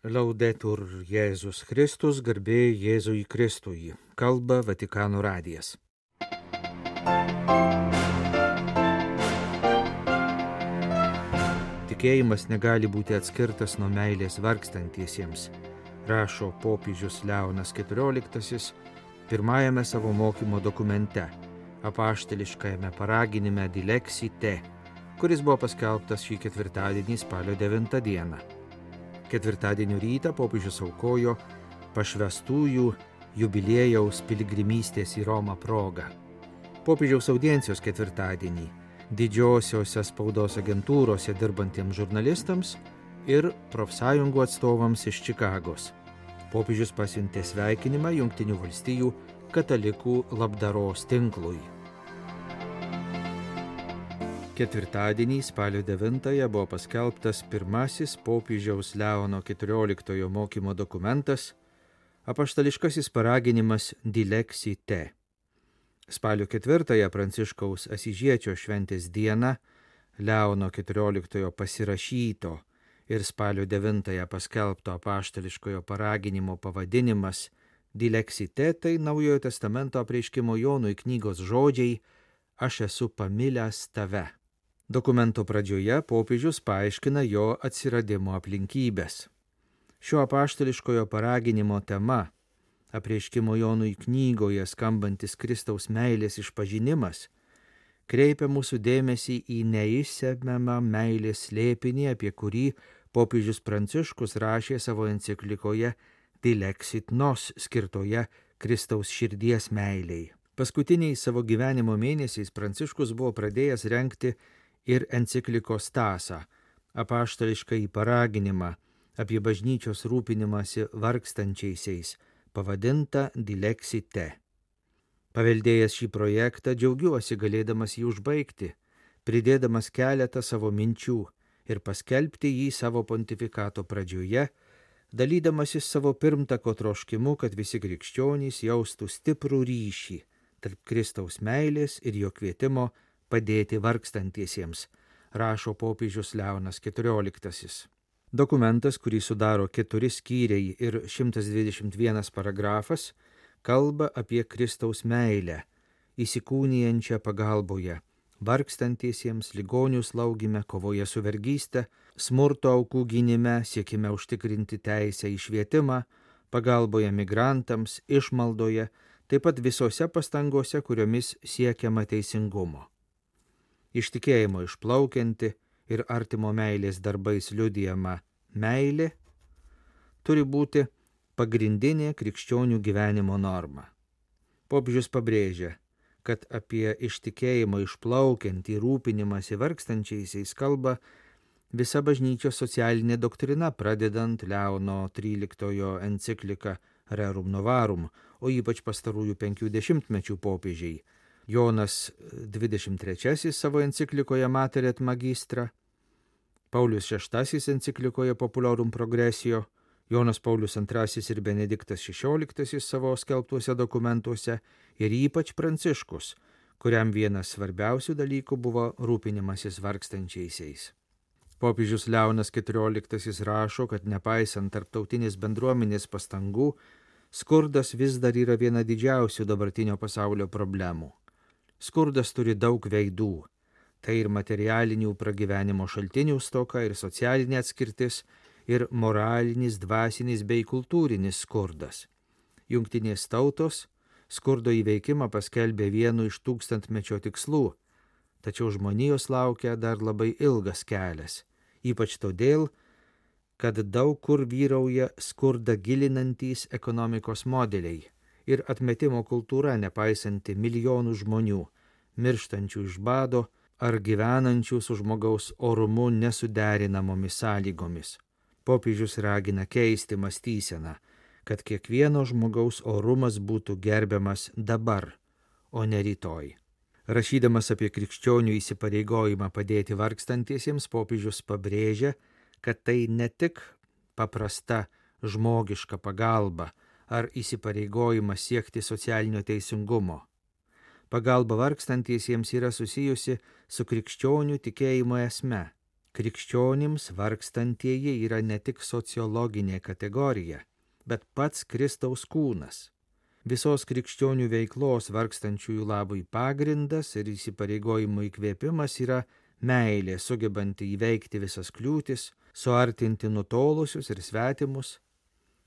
Laudetur Jėzus Kristus, garbė Jėzui Kristui, kalba Vatikano radijas. Tikėjimas negali būti atskirtas nuo meilės vargstantiesiems, rašo popiežius Leonas XIV pirmajame savo mokymo dokumente, apaštališkajame paraginime Dilexite, kuris buvo paskelbtas šį ketvirtadienį spalio 9 dieną. Ketvirtadienio rytą popiežius aukojo pašvęstųjų jubiliejaus piligrimystės į Romą progą. Popiežiaus audiencijos ketvirtadienį didžiosiose spaudos agentūrose dirbantiems žurnalistams ir profsąjungų atstovams iš Čikagos. Popiežius pasiuntė sveikinimą Jungtinių valstijų katalikų labdaros tinklui. Ketvirtadienį spalio 9 buvo paskelbtas pirmasis popiežiaus Leono XIV mokymo dokumentas, apaštališkasis paraginimas Dilexite. Spalio 4 Pranciškaus Asyžiečio šventės dieną Leono XIV pasirašyto ir spalio 9 paskelbto apaštališkojo paraginimo pavadinimas Dilexite tai Naujojo testamento apreiškimo Jonui knygos žodžiai "Aš esu pamilęs tave". Dokumento pradžioje popiežius paaiškina jo atsiradimo aplinkybės. Šio apaštališkojo paraginimo tema, apreiškimo Jonui knygoje skambantis Kristaus meilės išpažinimas, kreipia mūsų dėmesį į neišsemiamą meilės slėpinį, apie kurį popiežius Pranciškus rašė savo enciklikoje Dilexit Nos, skirtoje Kristaus širdies meiliai. Paskutiniais savo gyvenimo mėnesiais Pranciškus buvo pradėjęs rengti ir enciklikos Tasą, apaštališkąjį paraginimą apie bažnyčios rūpinimąsi vargstančiaisiais, pavadintą Dilexite. Paveldėjęs šį projektą, džiaugiuosi galėdamas jį užbaigti, pridėdamas keletą savo minčių ir paskelbti jį savo pontifikato pradžioje, dalydamasis savo pirmtako troškimu, kad visi krikščionys jaustų stiprų ryšį tarp Kristaus meilės ir jo kvietimo padėti vargstantiesiems, rašo popiežius Leonas XIV. Dokumentas, kurį sudaro 4 skyriai ir 121 paragrafas, kalba apie Kristaus meilę, įsikūnijančią pagalboje, vargstantiesiems, ligonių slaugime, kovoje su vergyste, smurto aukų gynime, siekime užtikrinti teisę į švietimą, pagalboje migrantams, išmaldoje, taip pat visose pastangose, kuriomis siekiama teisingumo. Iš tikėjimo išplaukianti ir artimo meilės darbais liudijama meilė turi būti pagrindinė krikščionių gyvenimo norma. Popiežius pabrėžia, kad apie iš tikėjimo išplaukiantį rūpinimąsi vargstančiaisiais kalba visa bažnyčios socialinė doktrina, pradedant Leono XIII encikliką Rerum Novarum, o ypač pastarųjų 50 popiežiai. Jonas XXIII savo enciklikoje Mater et Magistra, Paulius VI enciklikoje Populorum Progressio, Jonas Paulius II ir Benediktas XVI savo skelbtuose dokumentuose ir ypač Pranciškus, kuriam vienas svarbiausių dalykų buvo rūpinimasis vargstančiaisiais. Popiežius Leonas XIV rašo, kad nepaisant tarptautinės bendruomenės pastangų, skurdas vis dar yra viena didžiausių dabartinio pasaulio problemų. Skurdas turi daug veidų. Tai ir materialinių pragyvenimo šaltinių stoka, ir socialinė atskirtis, ir moralinis, dvasinis bei kultūrinis skurdas. Jungtinės tautos skurdo įveikimą paskelbė vienu iš 1000-mečio tikslų, tačiau žmonijos laukia dar labai ilgas kelias, ypač todėl, kad daug kur vyrauja skurdą gilinantys ekonomikos modeliai ir atmetimo kultūra, nepaisanti milijonų žmonių, mirštančių iš bado ar gyvenančių su žmogaus orumu nesuderinamomis sąlygomis. Popiežius ragina keisti mąstyseną, kad kiekvieno žmogaus orumas būtų gerbiamas dabar, o ne rytoj. Rašydamas apie krikščionių įsipareigojimą padėti vargstantiesiems, popiežius pabrėžia, kad tai ne tik paprasta žmogiška pagalba ar įsipareigojimas siekti socialinio teisingumo. Pagalba vargstantiesiems yra susijusi su krikščionių tikėjimo esme. Krikščionims vargstantieji yra ne tik sociologinė kategorija, bet pats Kristaus kūnas. Visos krikščionių veiklos vargstančiųjų labui pagrindas ir įsipareigojimo įkvėpimas yra meilė, sugebanti įveikti visas kliūtis, suartinti nutolusius ir svetimus,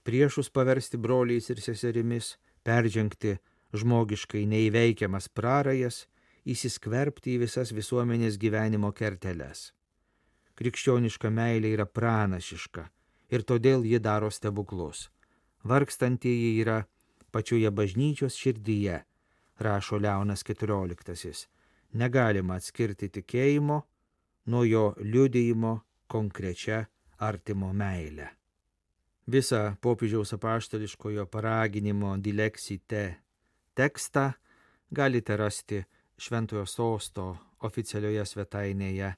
priešus paversti broliais ir seserimis, peržengti žmogiškai neįveikiamas prarajas, įsiskverbti į visas visuomenės gyvenimo kerteles. Krikščioniška meilė yra pranašiška ir todėl ji daro stebuklus. Vargstantieji yra pačioje bažnyčios širdyje, rašo Leonas XIV. Negalima atskirti tikėjimo nuo jo liudijimo konkrečia artimo meile. Visą popiežiaus apaštališkojo paraginimo Dilexite tekstą galite rasti Šventojo Sosto oficialioje svetainėje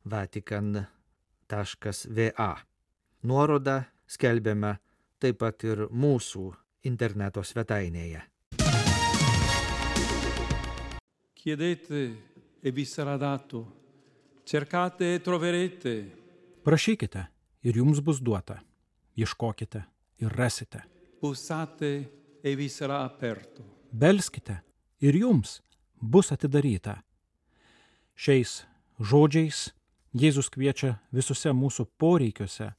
vatican.va. Nuorodą skelbiame taip pat ir mūsų interneto svetainėje. Chiedete e vi sarà dato, cercate e troverete. Prašykite ir jums bus duota, ieškokite ir rasite. Bussate e vi sarà aperto. Belskite ir jums bus atidaryta. Šiais žodžiais Jėzus kviečia visose mūsų poreikiuose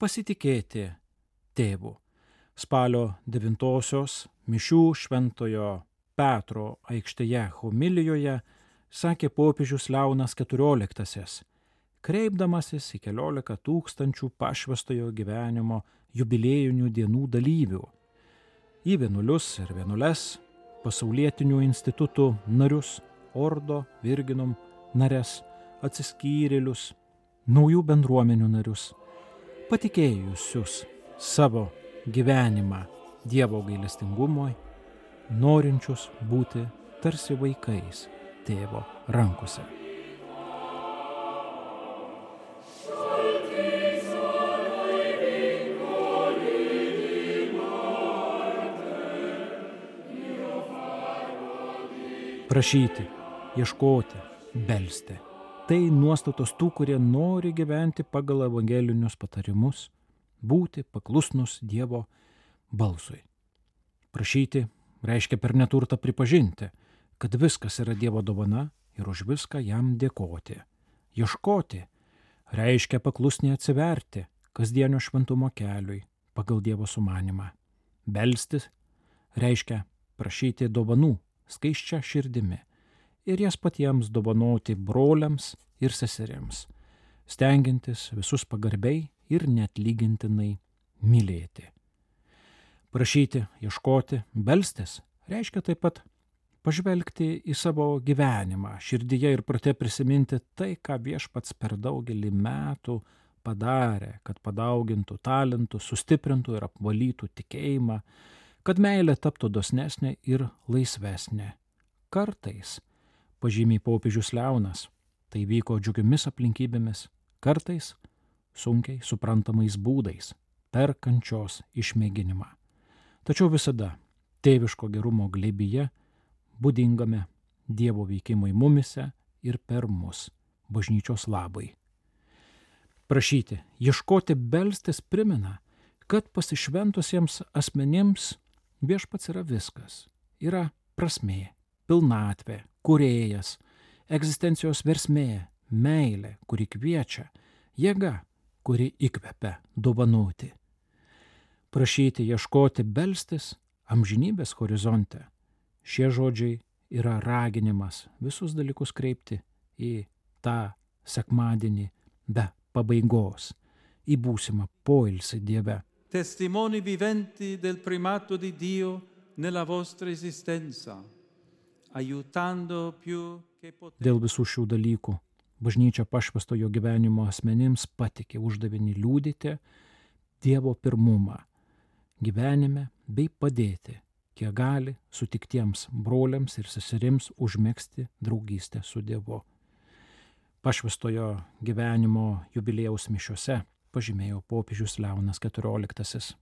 pasitikėti Tėvu. Spalio 9-osios mišių Šventojo Petro aikštėje homilijoje sakė popiežius Leonas XIV, kreipdamasis į 14 000 pašvęstojo gyvenimo jubiliejinių dienų dalyvių, į vienuolius ir vienuoles, pasaulietinių institutų narius, ordo, virginum nares, atsiskyrėlius, naujų bendruomenių narius, patikėjusius savo gyvenimą Dievo gailestingumui, norinčius būti tarsi vaikais Tėvo rankose. Prašyti, ieškoti, belsti. Tai nuostatos tų, kurie nori gyventi pagal evangelinius patarimus, būti paklusnus Dievo balsui. Prašyti reiškia per neturtą pripažinti, kad viskas yra Dievo dovana ir už viską jam dėkoti. Ieškoti reiškia paklusniai atsiverti kasdienio šventumo keliui pagal Dievo sumanimą. Belstis reiškia prašyti dovanų skaisčia širdimi ir jas patiems dovanoti broliams ir seserims, stengiantis visus pagarbiai ir neatlygintinai mylėti. Prašyti, ieškoti, belstis reiškia taip pat pažvelgti į savo gyvenimą, širdyje ir prote prisiminti tai, ką Viešpats per daugelį metų padarė, kad padaugintų talentų, sustiprintų ir apvalytų tikėjimą, kad meilė taptų dosnesnė ir laisvesnė. Kartais, pažymi popiežius Leonas, tai vyko džiugiomis aplinkybėmis, kartais sunkiai suprantamais būdais, per kančios išmėginimą. Tačiau visada tėviško gerumo glėbyje, būdingame Dievo veikimui mumise ir per mus, bažnyčios labai. Prašyti, ieškoti, belstis primena, kad pasišventusiems asmenims Viešpats yra viskas, yra prasmė, pilnatvė, kūrėjas, egzistencijos versmė, meilė, kuri kviečia, jėga, kuri įkvepia dovanoti. Prašyti, ieškoti, belstis amžinybės horizonte. Šie žodžiai yra raginimas visus dalykus kreipti į tą sekmadienį be pabaigos, į būsimą poilsį Dieve. Testimoni viventi del primato di Dio nella vostra esistenza, aiutando più che potete. Dėl visų šių dalykų bažnyčia pašvęstojo gyvenimo asmenims patikė uždavinį liudyti Dievo pirmumą gyvenime bei padėti, kiek gali, sutiktiems broliams ir seserims užmegzti draugystę su Dievu. Pašvęstojo gyvenimo jubiliejaus mišiose pažymėjo popiežius Leonas XIV.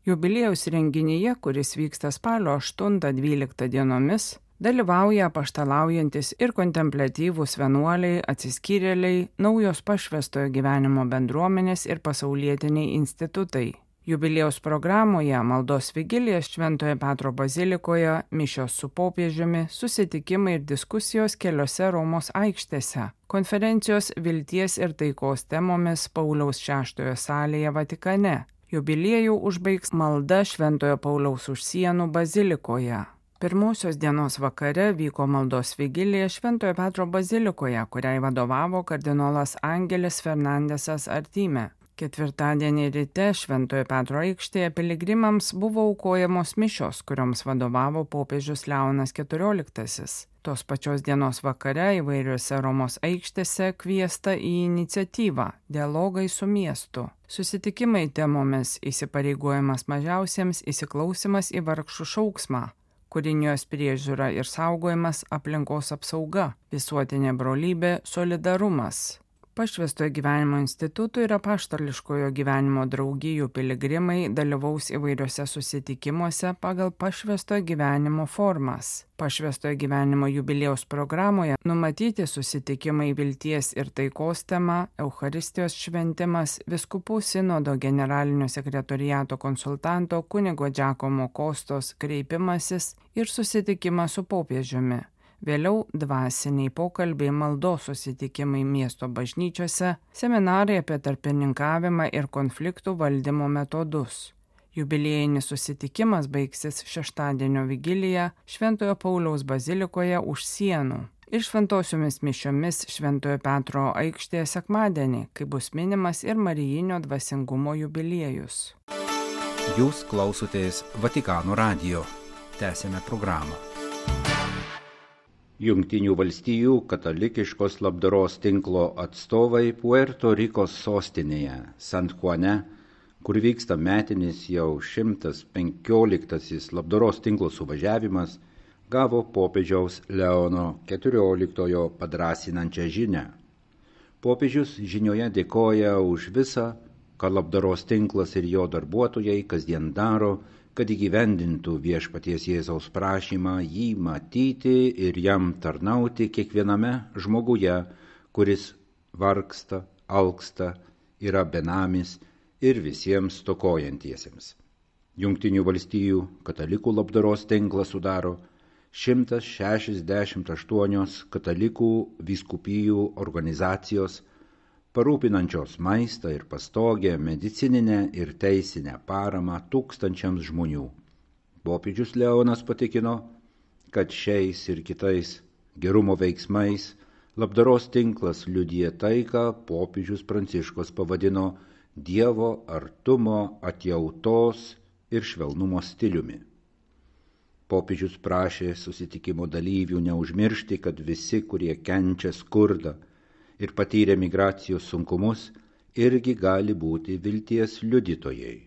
Jubiliejaus renginyje, kuris vyksta spalio 8-12 dienomis, Dalyvauja apaštalaujantis ir kontempliatyvūs vienuoliai, atsiskyrėliai, naujos pašvęstojo gyvenimo bendruomenės ir pasaulietiniai institutai. Jubiliejaus programoje maldos vigilija Šventojo Petro bazilikoje, mišios su popiežiumi, susitikimai ir diskusijos keliose Romos aikštėse, konferencijos vilties ir taikos temomis Pauliaus VI salėje Vatikane. Jubiliejų užbaigs malda Šventojo Pauliaus už sienų bazilikoje. Pirmosios dienos vakare vyko maldos vigilija Šventojo Petro bazilikoje, kuriai vadovavo kardinolas Angelis Fernandesas Artime. Ketvirtadienį ryte Šventojo Petro aikštėje piligrimams buvo aukojamos mišios, kurioms vadovavo popiežius Leonas XIV. Tos pačios dienos vakare įvairiuose Romos aikštėse kviesta į iniciatyvą Dialogai su miestu. Susitikimai temomis įsipareigojimas mažiausiems, įsiklausimas į vargšų šauksmą, kūrinijos priežiūra ir saugojimas, aplinkos apsauga, visuotinė brolybė, solidarumas. Pašvęstojo gyvenimo institutų ir apaštališkojo gyvenimo draugijų piligrimai dalyvaus įvairiuose susitikimuose pagal pašvęstojo gyvenimo formas. Pašvęstojo gyvenimo jubiliejaus programoje numatyti susitikimai vilties ir taikos tema, Eucharistijos šventimas, Vyskupų sinodo generalinio sekretoriato konsultanto kunigo Džakomo Kostos kreipimasis ir susitikimas su popiežiumi. Vėliau dvasiniai pokalbiai, maldos susitikimai miesto bažnyčiose, seminarai apie tarpininkavimą ir konfliktų valdymo metodus. Jubiliejinis susitikimas baigsis šeštadienio vigilija Šventojo Pauliaus bazilikoje už sienų ir šventosiomis mišiomis Šventojo Petro aikštėje sekmadienį, kai bus minimas ir Marijinio dvasingumo jubiliejus. Jūs klausotės Vatikano radijo. Tęsiame programą. Jungtinių valstijų katalikiškos labdaros tinklo atstovai Puerto Rikos sostinėje San Juane, kur vyksta metinis jau 115 labdaros tinklo suvažiavimas, gavo popiežiaus Leono XIV padrąsinančią žinią. Popiežius žinioje dėkoja už visą, ką labdaros tinklas ir jo darbuotojai kasdien daro, kad įgyvendintų viešpaties Jėzaus prašymą jį matyti ir jam tarnauti kiekviename žmoguje, kuris vargsta, alksta, yra benamis ir visiems stokojantiesiems. Jungtinių valstijų katalikų labdaros tinklą sudaro 168 katalikų vyskupijų organizacijos, parūpinančios maistą ir pastogę, medicininę ir teisinę paramą tūkstančiams žmonių. Popiežius Leonas patikino, kad šiais ir kitais gerumo veiksmais labdaros tinklas liudija tai, ką popiežius Pranciškus pavadino Dievo artumo, atjautos ir švelnumo stiliumi. Popiežius prašė susitikimo dalyvių neužmiršti, kad visi, kurie kenčia skurdą ir patyrė migracijos sunkumus, irgi gali būti vilties liudytojai.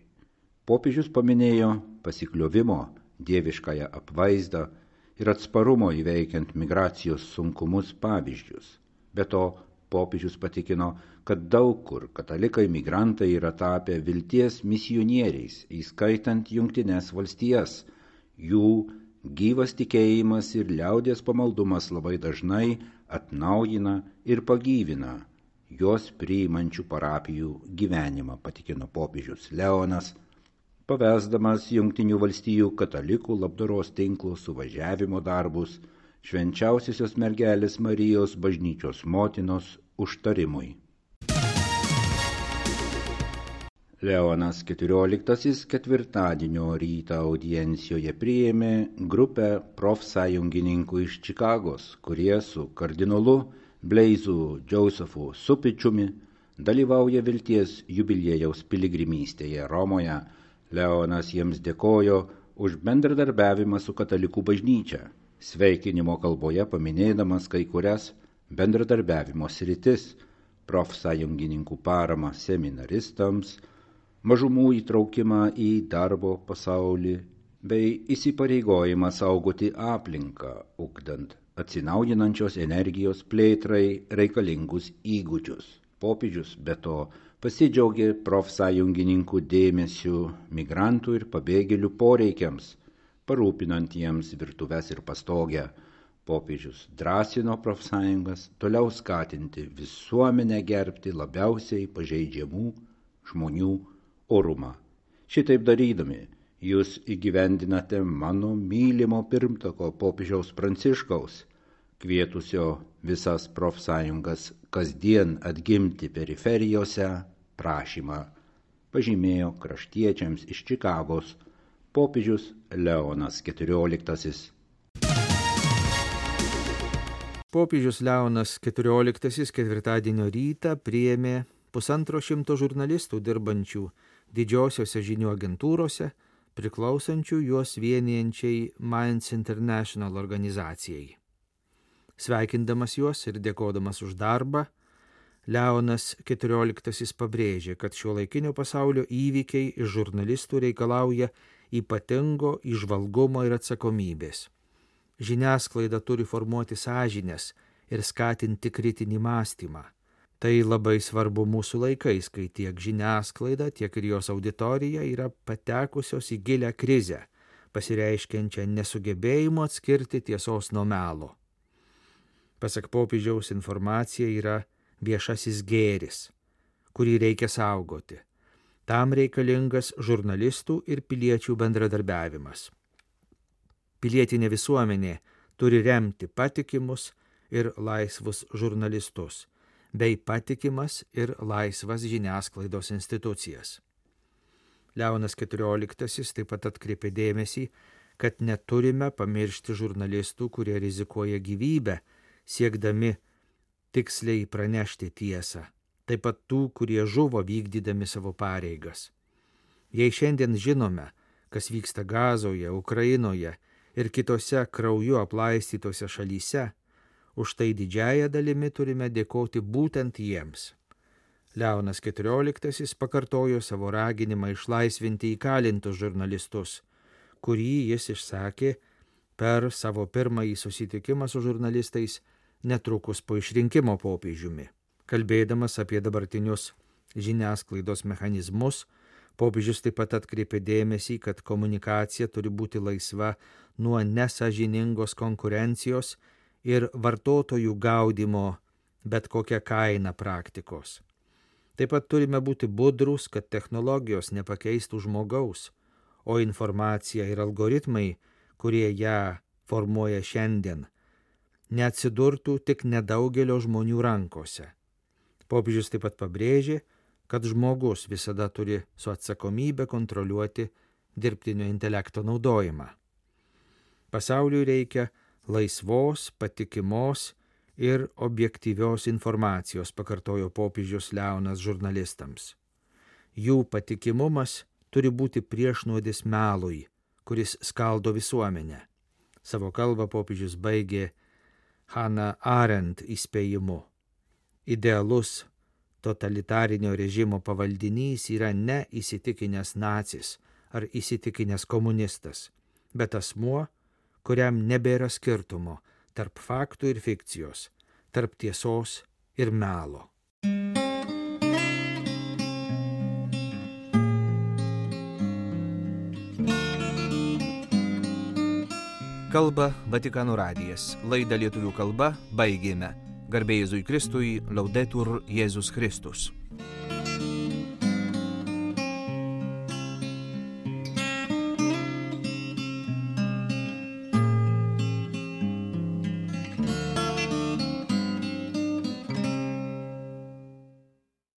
Popiežius paminėjo pasikliovimo dieviškąją apvaizdą ir atsparumo įveikiant migracijos sunkumus pavyzdžius. Be to, popiežius patikino, kad daug kur katalikai migrantai yra tapę vilties misionieriais, įskaitant Jungtines valstijas. Jų gyvas tikėjimas ir liaudies pamaldumas labai dažnai atnaujina ir pagyvina juos priimančių parapijų gyvenimą, patikino popiežius Leonas, pavesdamas Jungtinių valstijų katalikų labdaros tinklo suvažiavimo darbus Švenčiausiosios mergelės Marijos bažnyčios motinos užtarimui. Leonas XIV ketvirtadienio rytą audiencijoje priėmė grupę profsąjungininkų iš Čikagos, kurie su kardinolu Bleizu Josephu Supičiumi dalyvauja vilties jubiliejaus piligrimystėje Romoje. Leonas jiems dėkojo už bendradarbiavimą su katalikų bažnyčia, sveikinimo kalboje paminėdamas kai kurias bendradarbiavimo sritis, profsąjungininkų paramą seminaristams, mažumų įtraukimą į darbo pasaulį bei įsipareigojimą saugoti aplinką, ugdant atsinaujinančios energijos plėtrai reikalingus įgūdžius. Popiežius be to pasidžiaugė profsąjungininkų dėmesiu migrantų ir pabėgėlių poreikiams, parūpinant jiems virtuves ir pastogę. Popiežius drąsino profsąjungas toliau skatinti visuomenę gerbti labiausiai pažeidžiamų žmonių orumą. Šitaip darydami, jūs įgyvendinate mano mylimo pirmtako popiežiaus Pranciškaus, kvietusio visas profsąjungas kasdien atgimti periferijose prašymą, pažymėjo kraštiečiams iš Čikagos popiežius Leonas XIV. Popiežius Leonas XIV ketvirtadienio rytą priėmė 150 žurnalistų dirbančių didžiosiose žinių agentūrose, priklausančių juos vienijančiai Minds International organizacijai. Sveikindamas juos ir dėkodamas už darbą, Leonas XIV pabrėžė, kad šiuolaikinio pasaulio įvykiai iš žurnalistų reikalauja ypatingo įžvalgumo ir atsakomybės. Žiniasklaida turi formuoti sąžines ir skatinti kritinį mąstymą. Tai labai svarbu mūsų laikais, kai tiek žiniasklaida, tiek ir jos auditorija yra patekusios į gilią krizę, pasireiškiančią nesugebėjimu atskirti tiesos nuo melo. Pasak popiežiaus, informacija yra viešasis gėris, kurį reikia saugoti. Tam reikalingas žurnalistų ir piliečių bendradarbiavimas. Pilietinė visuomenė turi remti patikimus ir laisvus žurnalistus, bei patikimas ir laisvas žiniasklaidos institucijas. Leonas XIV taip pat atkreipė dėmesį, kad neturime pamiršti žurnalistų, kurie rizikuoja gyvybę, siekdami tiksliai pranešti tiesą, taip pat tų, kurie žuvo vykdydami savo pareigas. Jei šiandien žinome, kas vyksta Gazoje, Ukrainoje ir kitose krauju aplaistytose šalyse, už tai didžiąją dalimi turime dėkoti būtent jiems. Leonas XIV pakartojo savo raginimą išlaisvinti įkalintus žurnalistus, kurį jis išsakė per savo pirmąjį susitikimą su žurnalistais netrukus po išrinkimo popiežiumi. Kalbėdamas apie dabartinius žiniasklaidos mechanizmus, popiežius taip pat atkreipė dėmesį, kad komunikacija turi būti laisva nuo nesąžiningos konkurencijos ir vartotojų gaudimo bet kokią kainą praktikos. Taip pat turime būti budrus, kad technologijos nepakeistų žmogaus, o informacija ir algoritmai, kurie ją formuoja šiandien, neatsidurtų tik nedaugelio žmonių rankose. Popiežius taip pat pabrėžė, kad žmogus visada turi su atsakomybė kontroliuoti dirbtinio intelekto naudojimą. Pasauliui reikia laisvos, patikimos ir objektyvios informacijos, pakartojo popiežius Leonas žurnalistams. Jų patikimumas turi būti priešnuodis melui, kuris skaldo visuomenę. Savo kalbą popiežius baigė Hannah Arendt įspėjimu. Idealus totalitarinio režimo pavaldinys yra ne įsitikinęs nacis ar įsitikinęs komunistas, bet asmuo, kuriam nebėra skirtumo tarp faktų ir fikcijos, tarp tiesos ir melo. Kalba Vatikano radijas. Laidą lietuvių kalba baigėme. Garbė Jėzui Kristui, Laudetur Jėzus Kristus.